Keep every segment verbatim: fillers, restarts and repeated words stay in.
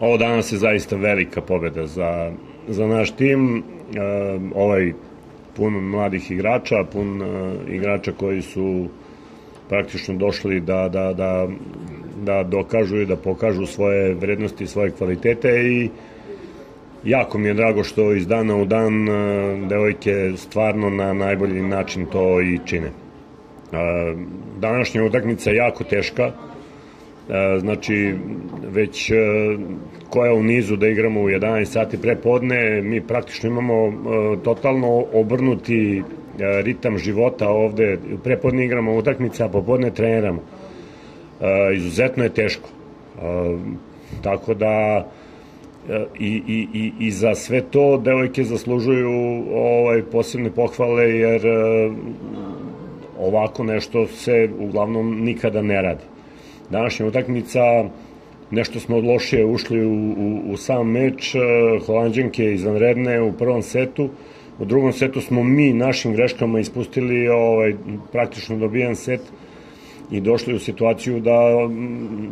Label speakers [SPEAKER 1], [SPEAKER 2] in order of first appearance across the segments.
[SPEAKER 1] Ovo danas je zaista velika pobeda za, za naš tim, e, ovaj pun mladih igrača, pun e, igrača koji su praktično došli da, da, da, da dokažu i da pokažu svoje vrednosti, svoje kvalitete i jako mi je drago što iz dana u dan e, devojke stvarno na najbolji način to i čine. E, današnja utakmica je jako teška, znači već koja u nizu da igramo u jedanaest sati pre podne, mi praktično imamo totalno obrnuti ritam života ovde, pre podne igramo utakmice, a popodne treniramo. Izuzetno je teško. Tako da i, i, i, i za sve to devojke zaslužuju ovaj, posebne pohvale, jer ovako nešto se uglavnom nikada ne radi. Današnja utakmica, nešto smo lošije ušli u, u, u sam meč, Holanđanke izvanredne u prvom setu, u drugom setu smo mi našim greškama ispustili ovaj, praktično dobijan set i došli u situaciju da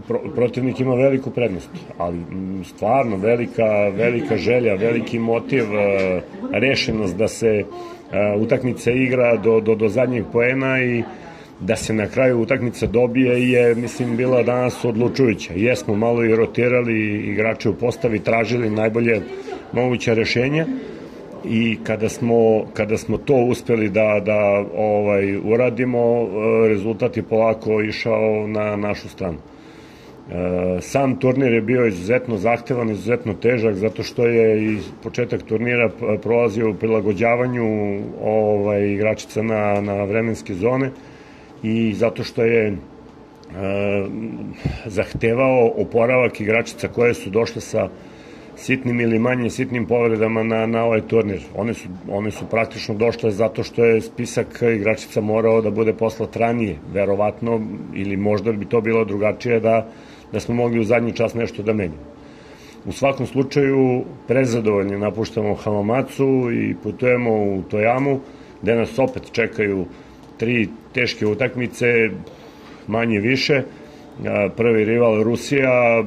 [SPEAKER 1] pro, protivnik ima veliku prednost, ali stvarno velika, velika želja, veliki motiv, rešenost da se utakmica igra do, do, do zadnjeg poena i da se na kraju utakmica dobije je, mislim, bila danas odlučujuća. Jesmo malo i rotirali igrače u postavi, tražili najbolje moguća rešenja i kada smo, kada smo to uspeli da, da ovaj, uradimo, rezultat je polako išao na našu stranu. Sam turnir je bio izuzetno zahtevan, izuzetno težak, zato što je i početak turnira prolazio u prilagođavanju ovaj, igračica na, na vremenske zone, i zato što je e, zahtevao oporavak igračica koje su došle sa sitnim ili manje sitnim povredama na, na ovaj turnir. One su, one su praktično došle zato što je spisak igračica morao da bude poslat ranije, verovatno, ili možda bi to bilo drugačije da, da smo mogli u zadnji čas nešto da menjamo. U svakom slučaju, prezadovoljni napuštamo Hamamatsu i putujemo u Tojamu, gde nas opet čekaju tri teške utakmice, manje više. Prvi rival Rusija,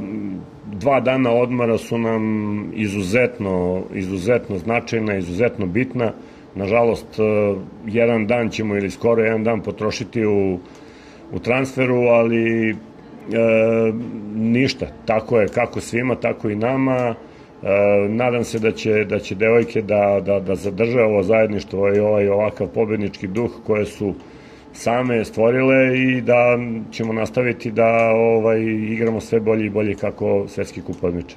[SPEAKER 1] dva dana odmora su nam izuzetno, izuzetno značajna, izuzetno bitna. Nažalost, jedan dan ćemo ili skoro jedan dan potrošiti u, u transferu, ali e, ništa. Tako je kako svima, tako i nama. E, nadam se da će, da će devojke da, da, da zadrže ovo zajedništvo i ovaj ovakav pobednički duh koje su same stvorile i da ćemo nastaviti da ovaj, igramo sve bolje i bolje kako svetski kup odmiče.